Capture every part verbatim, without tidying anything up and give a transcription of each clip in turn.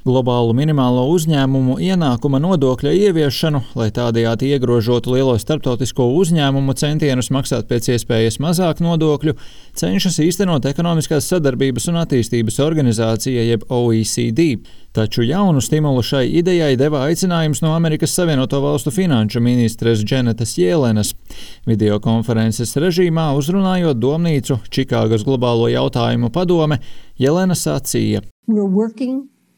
globālu minimālo uzņēmumu ienākuma nodokļa ieviešanu, lai tādējādi iegrožotu lielo starptautisko uzņēmumu centienus maksāt pēc iespējas mazāk nodokļu, cenšas īstenot Ekonomiskās sadarbības un attīstības organizācija jeb O E C D. Taču jaunu stimulu šai idejai deva aicinājums no Amerikas Savienoto Valstu finanšu ministres Dženetas Jelenas. Videokonferences režīmā uzrunājot domnīcu Čikāgas globālo jautājumu padome, Jelena sacīja: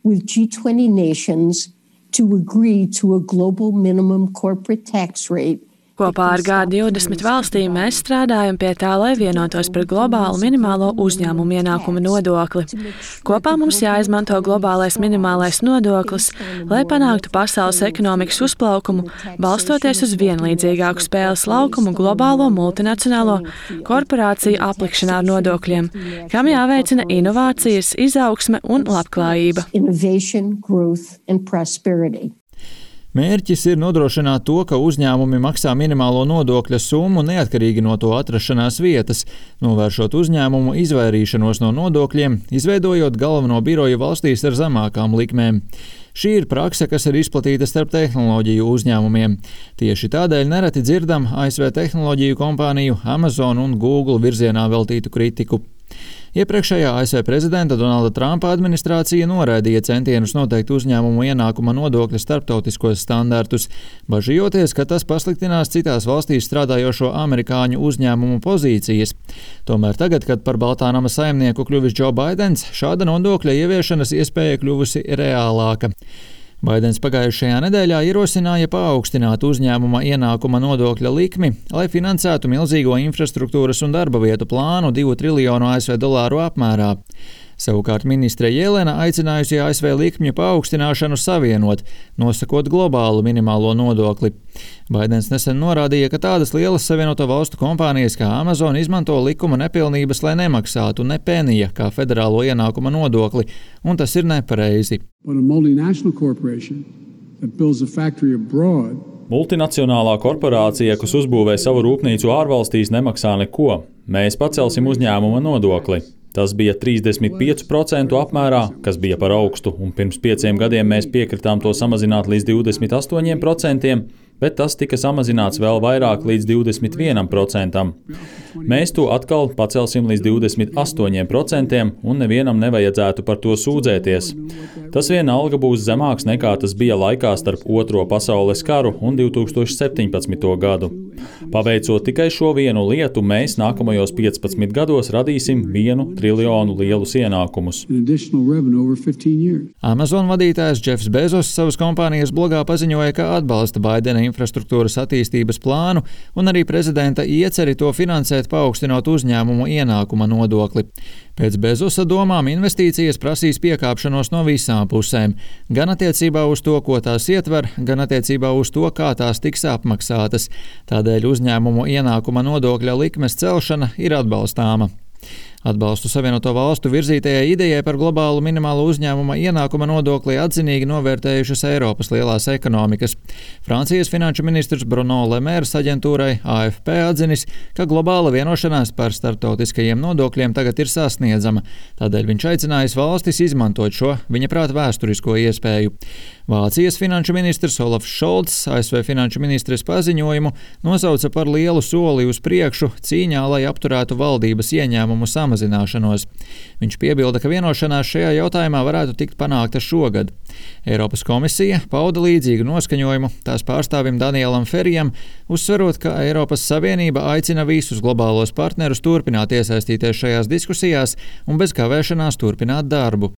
with G twenty nations to agree to a global minimum corporate tax rate. Kopā ar G divdesmit valstīm mēs strādājam pie tā, lai vienotos par globālu minimālo uzņēmumu ienākuma nodokli. Kopā mums jāizmanto globālais minimālais nodoklis, lai panāktu pasaules ekonomikas uzplaukumu, balstoties uz vienlīdzīgāku spēles laukumu globālo multinacionālo korporāciju aplikšanā ar nodokļiem, kam jāveicina inovācijas, izaugsme un labklājība. Mērķis ir nodrošināt to, ka uzņēmumi maksā minimālo nodokļa summu neatkarīgi no to atrašanās vietas, novēršot uzņēmumu izvairīšanos no nodokļiem, izveidojot galveno biroju valstīs ar zemākām likmēm. Šī ir prakse, kas ir izplatīta starp tehnoloģiju uzņēmumiem. Tieši tādēļ nereti dzirdam A S V tehnoloģiju kompāniju Amazon un Google virzienā veltītu kritiku. Iepriekšējā A S V prezidenta Donalda Trumpa administrācija noraidīja centienus noteikt uzņēmumu ienākuma nodokļa starptautiskos standartus, bažījoties, ka tas pasliktinās citās valstīs strādājošo amerikāņu uzņēmumu pozīcijas. Tomēr tagad, kad par Baltā nama saimnieku kļuvis Džo Baidens, šāda nodokļa ieviešanas iespēja kļuvusi reālāka. Baidens pagājušajā nedēļā ierosināja paaugstināt uzņēmuma ienākuma nodokļa likmi, lai finansētu milzīgo infrastruktūras un darba vietu plānu divu triljonu A S V dolāru apmērā. Savukārt ministre Jelena aicinājusi A S V likmju paaugstināšanu savienot, nosakot globālu minimālo nodokli. Baidens nesen norādīja, ka tādas lielas Savienoto Valstu kompānijas kā Amazon izmanto likuma nepilnības, lai nemaksātu ne penija kā federālo ienākuma nodokli, un tas ir nepareizi. Multinacionālā korporācija, kas uzbūvē savu rūpnīcu ārvalstīs, nemaksā neko. Mēs pacelsim uzņēmuma nodokli. Tas bija trīsdesmit pieci procenti apmērā, kas bija par augstu, un pirms pieciem gadiem mēs piekritām to samazināt līdz divdesmit astoņiem procentiem, bet tas tika samazināts vēl vairāk līdz divdesmit vienam procentam. Mēs to atkal pacelsim līdz divdesmit astoņiem procentiem, un nevienam nevajadzētu par to sūdzēties. Tas vienalga būs zemāks nekā tas bija laikā starp Otro pasaules karu un divi tūkstoši septiņpadsmito gadu. Paveicot tikai šo vienu lietu, mēs nākamajos piecpadsmit gados radīsim vienu triljonu lielus ienākumus. Amazon vadītājs Jeffs Bezos savas kompānijas blogā paziņoja, ka atbalsta Baidena infrastruktūras attīstības plānu un arī prezidenta ieceri to finansēt, paaugstinot uzņēmumu ienākuma nodokli. Pēc Bezosa domām investīcijas prasīs piekāpšanos no visām pusēm, gan attiecībā uz to, ko tās ietver, gan attiecībā uz to, kā tās tiks apmaksātas. Tādēļ uzņēmumu ienākuma nodokļa likmes celšana ir atbalstāma. Atbalstu Savienoto Valstu virzītajai idejai par globālu minimālo uzņēmuma ienākuma nodokli atzinīgi novērtējušas Eiropas lielās ekonomikas. Francijas finanšu ministrs Bruno Le Maire aģentūrai A F P atzinis, ka globāla vienošanās par starptautiskajiem nodokļiem tagad ir sasniedzama. Tādēļ viņš aicinājis valstis izmantot šo, viņa prāt, vēsturisko iespēju. Vācijas finanšu ministrs Olafs Šolts A S V finanšu ministres paziņojumu nosauca par lielu soli uz priekšu cīņā, lai apturētu valdības ieņēmumu samazināšanos. Viņš piebilda, ka vienošanās šajā jautājumā varētu tikt panākta šogad. Eiropas komisija pauda līdzīgu noskaņojumu tās pārstāvim Danielam Ferijam, uzsverot, ka Eiropas Savienība aicina visus globālos partnerus turpināt iesaistīties šajās diskusijās un bez kavēšanās turpināt darbu.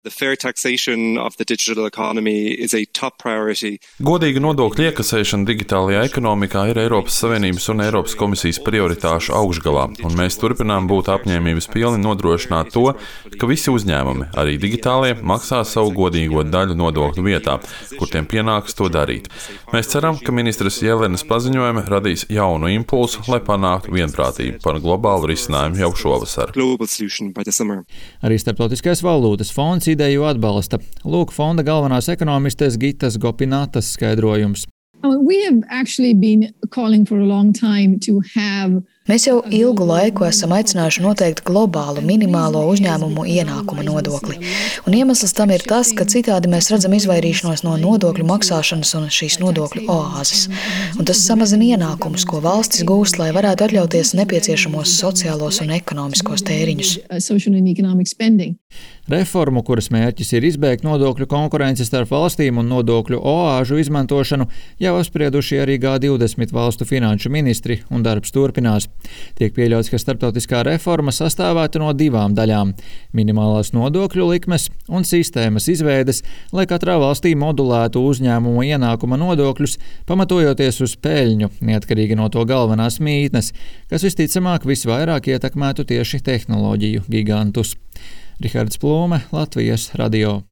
Godīga nodokļu iekasēšana digitālajā ekonomikā ir Eiropas Savienības un Eiropas komisijas prioritāšu augšgalā, un mēs turpinām būt apņēmības pilni nodrošināt to, ka visi uzņēmumi, arī digitālie, maksā savu godīgo daļu nodokļu vietā, kur tiem pienākas to darīt. Mēs ceram, ka ministres Jelenas paziņojumi radīs jaunu impulsu, lai panāktu vienprātību par globālu risinājumu jau šovasar. Arī Starptautiskais valūtas fonds ideju atbalsta. Lūk fonda galvenās ekonomistes Gitas Gopinatas skaidrojums. We have actually been calling for a long time to have Mēs jau ilgu laiku esam aicinājuši noteikt globālu minimālo uzņēmumu ienākuma nodokli. Un iemesls tam ir tas, ka citādi mēs redzam izvairīšanos no nodokļu maksāšanas un šīs nodokļu oāzes. Un tas samazina ienākumus, ko valstis gūst, lai varētu atļauties nepieciešamos sociālos un ekonomiskos tēriņus. Reformu, kuras mērķis ir izbeigt nodokļu konkurenci starp valstīm un nodokļu oāžu izmantošanu, jau apsprieduši arī G divdesmit valstu finanšu ministri, un darbs turpinās. Tiek pieļauts, ka starptautiskā reforma sastāvētu no divām daļām – minimālās nodokļu likmes un sistēmas izveides, lai katrā valstī modulētu uzņēmumu ienākuma nodokļus, pamatojoties uz peļņu, neatkarīgi no to galvenās mītnes, kas visticamāk visvairāk ietekmētu tieši tehnoloģiju gigantus. Rihards Plūme, Latvijas radio.